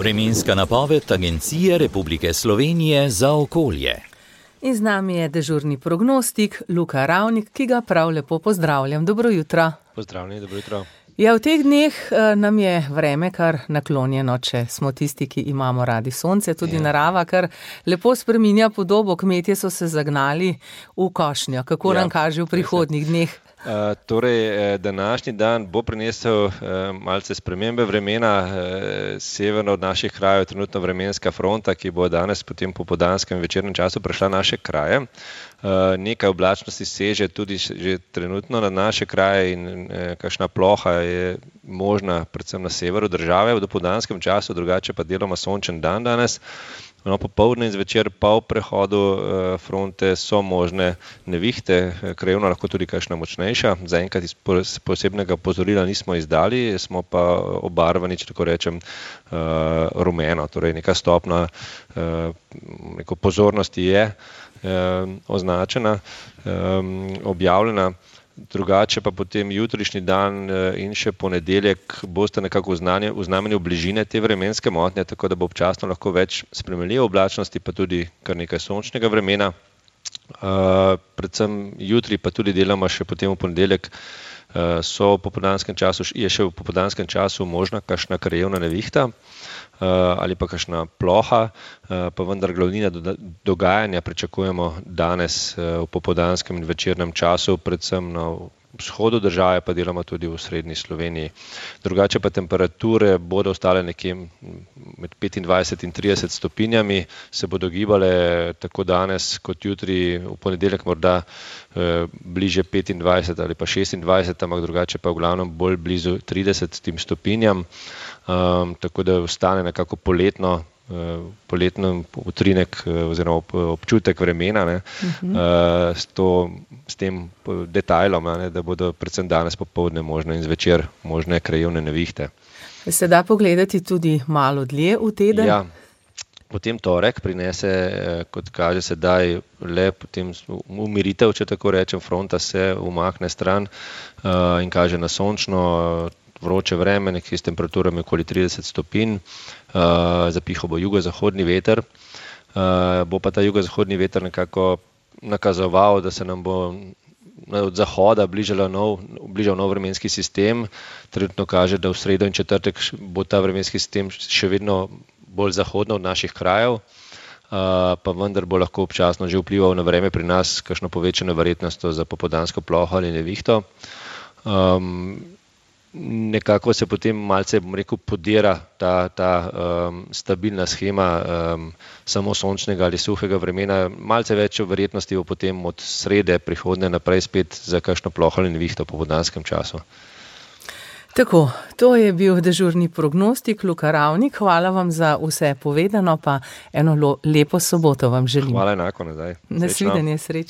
Vremenska napoved Agencije Republike Slovenije za okolje. In z nami je dežurni prognostik Luka Ravnik, ki ga prav lepo pozdravljam. Dobro jutro. Pozdravljeni, dobro jutro. Ja, v teh dneh nam je vreme kar naklonjeno, če smo tisti, ki imamo radi sonce, tudi narava, kar lepo spreminja podobo. Kmetje so se zagnali v košnjo. Kako nam kaže v prihodnjih dneh? Današnji dan bo prinesel malce spremembe vremena. Severno od naših krajev je trenutno vremenska fronta, ki bo danes potem popoldanskem in večernem času prešla naše kraje. Nekaj oblačnosti seže tudi že trenutno na naše kraje in kakšna ploha je možna predvsem na severu države v dopoldanskem času, drugače pa deloma sončen dan danes. Popoldne in zvečer pa v prehodu fronte so možne nevihte, krajevno lahko tudi kakšna močnejša. Zaenkrat posebnega opozorila nismo izdali, smo pa obarvani, če tako rečem, rumeno. Torej neka stopnja neko pozornosti je označena, objavljena. Drugače pa potem jutrišnji dan in še ponedeljek boste nekako v znamenju bližine te vremenske motnje, tako da bo občasno lahko več spremenljive oblačnosti, pa tudi kar nekaj sončnega vremena. Predvsem jutri pa tudi deloma še potem v ponedeljek je še v popoldanskem času možna kakšna krajevna nevihta ali pa kakšna ploha, pa vendar glavnina dogajanja pričakujemo danes v popoldanskem in večernem času, predvsem na vzhodu države, pa deloma tudi v srednji Sloveniji. Drugače pa temperature bodo ostale nekje med 25 in 30 stopinjami, se bodo gibale tako danes kot jutri, v ponedeljek morda bliže 25 ali pa 26, ampak drugače pa v glavnem bolj blizu 30 stopinjam. Tako da ostane nekako poletno utrinek oziroma občutek vremena, s tem detajlom, da bodo predvsem danes popoldne možne in zvečer možne krajevne nevihte. Se da pogledati tudi malo dlje v teden? Ja, potem torek prinese, kot kaže sedaj, le potem umiritev, če tako rečem, fronta se umakne stran in kaže na sončno vroče vreme, nekje s temperaturami okoli 30 stopinj, zapihal bo jugozahodni veter, bo pa ta jugozahodni veter nekako nakazoval, da se nam bo od zahoda bližal nov vremenski sistem. Trenutno kaže, da v sredo in četrtek bo ta vremenski sistem še vedno bolj zahodno od naših krajev, pa vendar bo lahko občasno že vplival na vreme pri nas, kakšno povečano verjetnostjo za popoldansko ploho ali nevihto. Nekako se potem malce, podira ta stabilna shema samo sončnega ali suhega vremena. Malce več verjetnosti bo potem od srede prihodnje naprej spet za kakšno ploho ali nevihto v popoldanskem času. Tako, to je bil dežurni prognostik Luka Ravnik. Hvala vam za vse povedano, pa eno lepo soboto vam želim. Hvala enako nazaj. Nasvidenje, srečno.